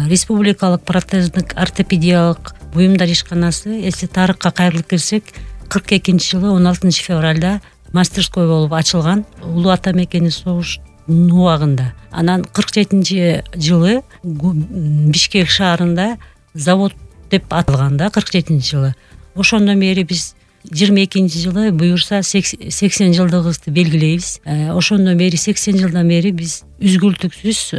Республикалык протездик ортопедиялык буюмдар ишканасы, эсти тарыхка кайрылып келсек, 42-жылы 16 февралда мастерской болуп ачылган. Улуу ата мекени согуштун убагында. Анан 47-жылы Бишкек шаарында завод деп аталган да, 47-жылы. Ошондон бери биз 22-жылы буюрса 80 жылдыгыбызды белгилейбиз. Ошондон бери 80 жылдан бери биз үзгүлтүксүз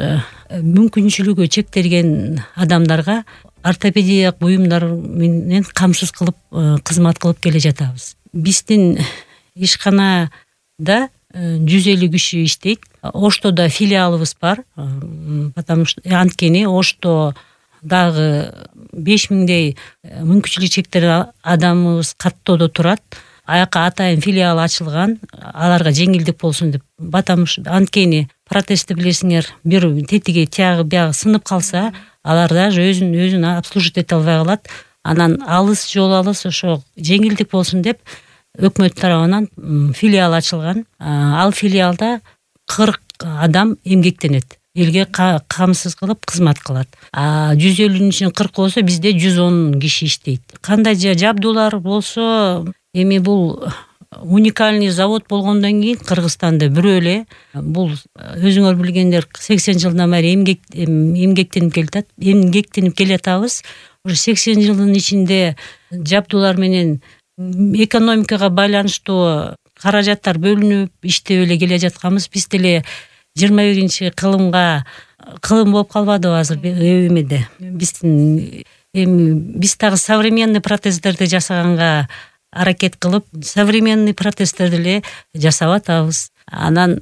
мүмкүнчүлүгү чектелген адамдарга ортопедиялык буюмдар менен камсыз кылып кызмат кылып келе жатабыз. Биздин ишканада 150 киши иштейт. Оштодо филиалыбыз бар. Потому что анткени Ошто дагы 5000дей мүмкүнчүлүгү чектелген адамыбыз каттоодо турат. Аяка атайын филиал ачылган, аларга жеңилдик болсун деп. Потому что анткени протезди билесиңер, бир тетиги тиягы биягы сынып калса, алар даже өзүн обслуживать эте албай калат. Анан алыс жол алыс, ошо жеңилдик болсун деп өкмөт тарабынан филиал ачылган. Ал филиалда 40 адам эмгектенет. Элге камсыз кылып кызмат кылат. 150-нин ичинен 40 болсо, бизде 110 киши иштейт. Кандай жабдуулар болсо, эми бул уникальный завод болгондон кийин Кыргызстанда бирөө эле. Бул өзүңөр билгендер 80 жылдан бери эмгектенип келатабыз. Уже 80 жылдын ичинде жабдуулар менен экономикага байланыштуу каражаттар бөлүнүп иштеп эле келе жатканбыз. Биз деле 21-кылым болуп калбадыбы азыр эмеде. Биз дагы современный протездерди жасаганга аракет кылып, современный протездерди эле жасап атабыз. Анан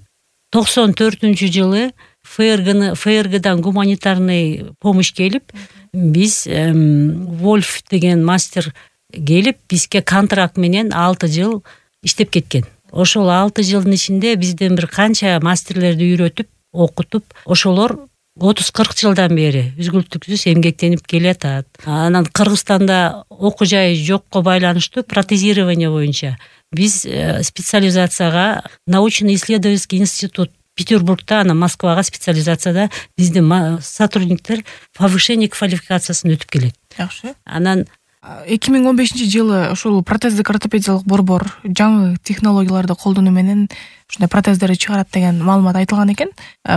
94-жылы ФРГдан гуманитарный помощь келип, биз Вольф деген мастер келип, бизге контракт менен 6 жыл иштеп кеткен. Ошол 6 жылдын ичинде бизден бир канча мастерлерди үйрөтүп, окутуп, ошолор 30-40 жылдан бери үзгүлтүксүз эмгектенип келатат. Анан Кыргызстанда окуу жай жокко байланыштуу протезирование боюнча биз специализацияга научно-исследовательский институт Петербургда, анан Москвага специализацияда биздин сотрудниктер повышение квалификациясын өтүп келет. Жакшы. Анан 2015-жылы ошол протездик ортопедиялык борбор жаңы технологияларды колдонуу менен ушундай протездерди чыгарат деген маалымат айтылган экен.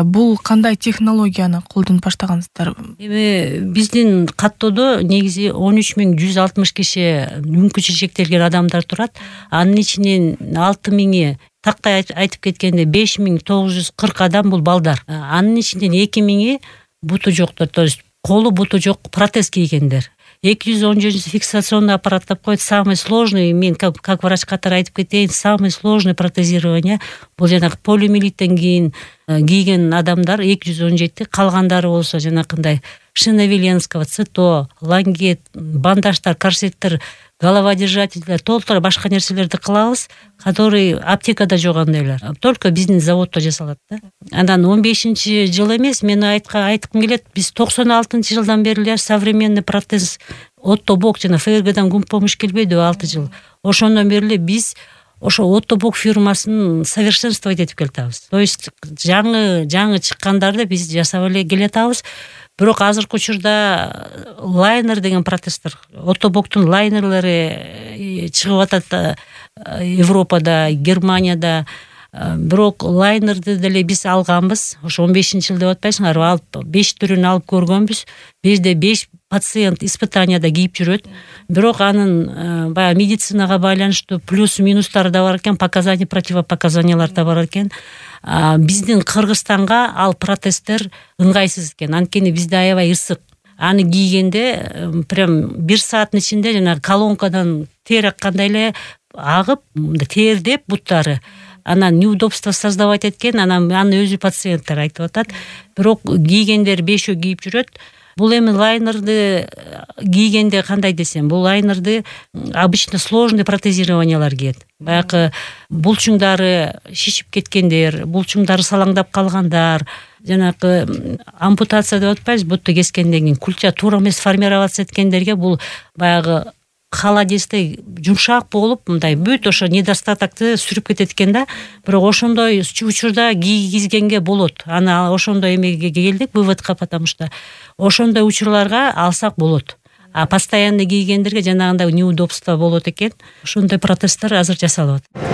Бул кандай технологияны колдонуп баштагансыздар? Эми биздин каттоодо негизи 13160 киши мүмкүнчүлүгү чектелген адамдар турат. Анын ичинен 6000 тактай айтып кеткенде 5940 адам бул балдар. Анын ичинен 2000 буту жоктор, то есть колу буту жок протез кийгендер. 217 фиксационный аппарат деп коет. Самый сложный, мен как врач катары айтып кетейин, самый сложный протезирование бул жанагы полиомиелиттен кийин кийген адамдар 217, калгандары болсо жанакындай Шиновеленского, ЦИТО, лангет, бандаждар, корсеттер, головодержательдер, толтура башка нерселерди кылабыз, который аптекада жок андайлар. Только биздин заводдо жасалат да. Андан 15-жыл эмес, мен айткым келет, биз 96-жылдан бери современный протез Оттобок жана ФРГдан помощь келбейди 6 жыл. Ошондон бери биз ошо Оттобок фирмасын совершенствовать этип келатабыз. То есть жаңы чыккандарды биз жасап эле келатабыз. Бирок азыркы учурда лайнер деген протездер, Оттобоктун лайнерлери чыгып атат Европада, Германияда. Бирок лайнерди деле биз алганбыз. Ошо 15-жыл деп атпайсыңарбы? Алып 5 түрүн алып көргөнбүз. Бизде 5 пациент испытанияда кийип жүрөт. Бирок анын баягы медицинага байланыштуу плюс минустары да бар экен, показания, противопоказаниялар да бар экен. Биздин Кыргызстанга ал протездер ыңгайсыз экен. Анткени бизде аябай ысык. Аны кийгенде прям 1 сааттын ичинде жана колонкадан тер аккандай эле агып, тердеп буттары. Анан неудобство создавать эткен, анан аны өзү пациенттер айтып атат. Бирок кийгендер 5 кийип жүрөт. Бул эми лайнерди кийгенде кандай десем, бул лайнерди обычно сложный протезированиялар кийет. Баягы булчуңдары шишип кеткендер, булчуңдары салаңдап калгандар, жанагы ампутация деп атпайбыз, бутту кескенден кийин кульча туура эмес формироваться эткендерге бул баягы холодистый жумшак болуп мындай бүт ошо недостатокты сүрүп кетет экен да. Бирок ошондой учурда кийгизгенге болот. Аны ошондой эмеге келдик выводка, потому что ошондой учурларга алсак болот. А постоянно кийгендерге жанагындай неудобство болот экен. Ошондой протездар азыр жасалып атат.